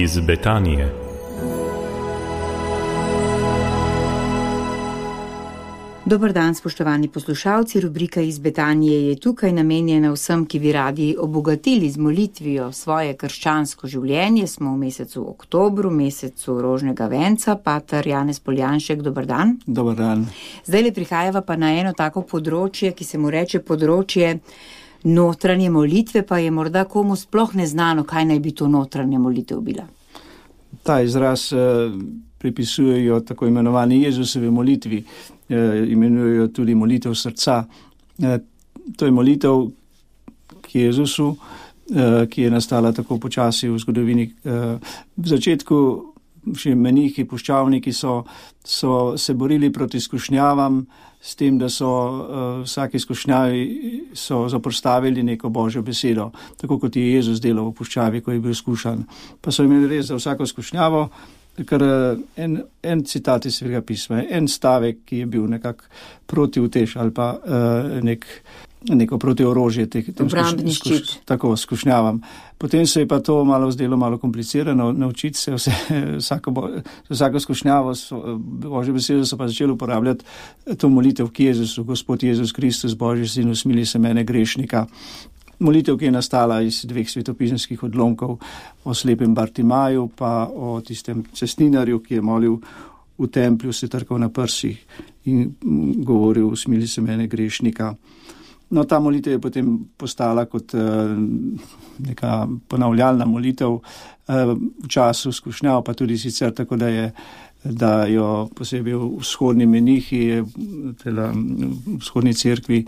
iz Betanije. Dober dan, spoštovani poslušalci. Rubrika iz Betanije je tukaj namenjena vsem, ki bi radi obogatili z molitvijo svoje krščansko življenje. Smo v mesecu oktobru, mesecu rožnega venca. Pater Janez Poljanšek, dober dan. Dober dan. Zdaj le prihajava pa na eno tako področje, ki se mu reče področje notranje molitve, pa je morda komu sploh neznano, kaj naj bi to notranja molitev bila. Ta izraz pripisujejo tako imenovani Jezusovi molitvi, imenujejo tudi molitev srca. To je molitev k Jezusu, ki je nastala tako počasi v zgodovini. V začetku še menihi, puščavniki so se borili proti skušnjavam, s tem, da so vsaki skušnjavi so zapostavili neko Božjo besedo, tako kot je Jezus delal v puščavi, ko je bil skušan. Pa so imeli res za vsako skušnjavo, ker en citat iz Svetega pisma, en stavek, ki je bil nekako protiutež ali pa neko protiorožje tako skušnjavam. Potem se je pa to malo zdelo malo komplicirano, naučiti se vsako skušnjavo, Božjo besedo so pa začeli uporabljati to molitev k Jezusu, Gospod Jezus Kristus, Božji sin, usmili se mene grešnika. Molitev, ki je nastala iz dveh svetopisemskih odlomkov, o slepem Bartimaju pa o tistem cestninarju, ki je molil v templju, se trkal na prsih in govoril, usmili se mene grešnika. No, ta molitev je potem postala kot neka ponavljalna molitev v času skušnjav, pa tudi sicer tako, da jo posebej v vzhodni menihi, v vzhodni cerkvi,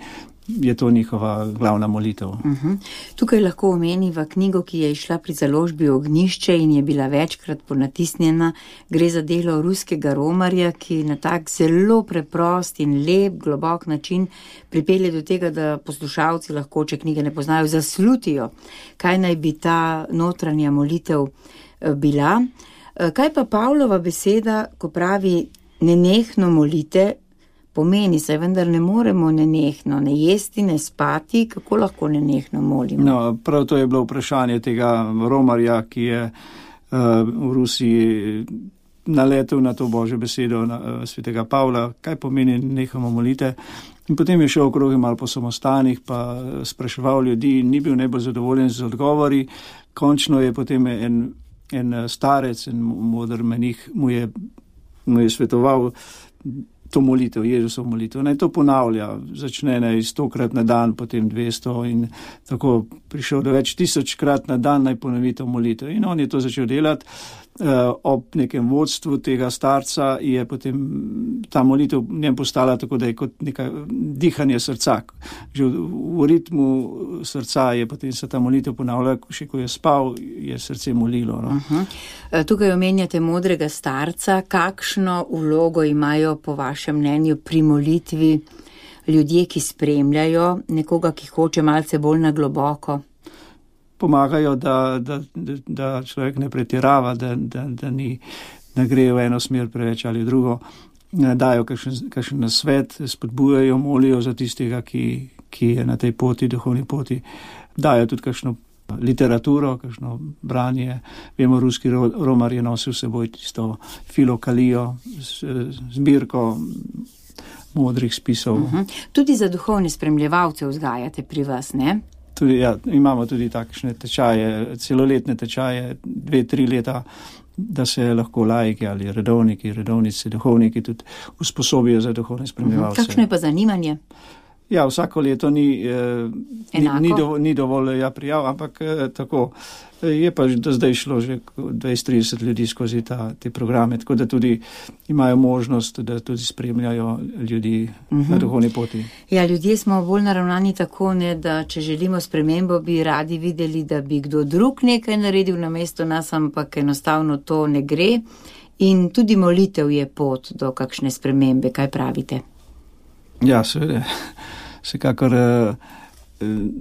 je to njihova glavna molitev. Tukaj lahko omeniva knjigo, ki je išla pri založbi Ognjišče in je bila večkrat ponatisnjena. Gre za delo ruskega romarja, ki na tak zelo preprost in lep, globok način pripelje do tega, da poslušalci lahko, če knjige ne poznajo, zaslutijo, kaj naj bi ta notranja molitev bila. Kaj pa Pavlova beseda, ko pravi nenehno molite, pomeni, saj vendar ne moremo nenehno, ne jesti, ne spati, kako lahko nenehno molimo? No, prav to je bilo vprašanje tega romarja, ki je v Rusiji naletel na to Božjo besedo svetega Pavla, kaj pomeni nehamo molite. In potem je šel okrog malo po samostanih, pa spraševal ljudi, ni bil najbolj zadovoljen z odgovori. Končno je potem en starec, en moder menih mu je svetoval to molitev, Jezusov molitev. Naj to ponavlja, začne 100krat na dan, potem 200 in tako prišel do več 1000krat na dan naj ponovi to molitev. In on je to začel delati. Ob nekem vodstvu tega starca je potem ta molitev njem postala tako, da je kot neka dihanje srca. Že v ritmu srca je potem se ta molitev ponavljala, še ko je spal, je srce molilo. No? Tukaj omenjate modrega starca. Kakšno vlogo imajo po vašem mnenju pri molitvi ljudje, ki spremljajo nekoga, ki hoče malce bolj na globoko? Pomagajo, da človek ne pretirava, da ne gre v eno smer preveč ali drugo. Dajo kakšen nasvet, spodbujajo, molijo za tistega, ki je na tej poti, duhovni poti. Dajo tudi kakšno literaturo, kakšno branje. Vemo, ruski romar je nosil seboj tisto filokalijo, zbirko modrih spisov. Tudi za duhovne spremljevalce vzgajate pri vas, ne? Tudi, ja, imamo tudi takšne tečaje, celoletne tečaje, 2-3 leta, da se lahko laiki ali redovnice, duhovniki tudi usposobijo za duhovne spremljevalce. Kakšno je pa zanimanje? Ja, vsako leto ni dovolj prijav, ampak tako. Je pa do zdaj šlo že 20-30 ljudi skozi te programe, tako da tudi imajo možnost, da tudi spremljajo ljudi na duhovni poti. Ja, ljudje smo bolj naravnani tako, ne, da če želimo spremembo, bi radi videli, da bi kdo drug nekaj naredil namesto nas, ampak enostavno to ne gre. In tudi molitev je pot do kakšne spremembe. Kaj pravite? Ja, seveda. Vsekakor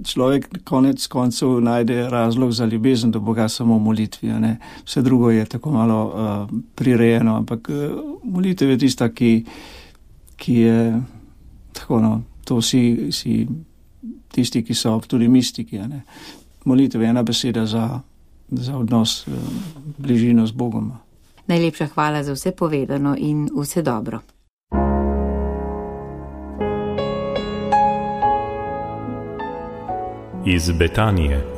človek konec koncev najde razlog za ljubezen do Boga samo v molitvi. Ne? Vse drugo je tako malo prirejeno, ampak molitev je tista, ki je tako, no, to vsi tisti, ki so tudi mistiki. Ne? Molitev je ena beseda za za odnos, bližino z Bogom. Najlepša hvala za vse povedano in vse dobro. Iz Betanije.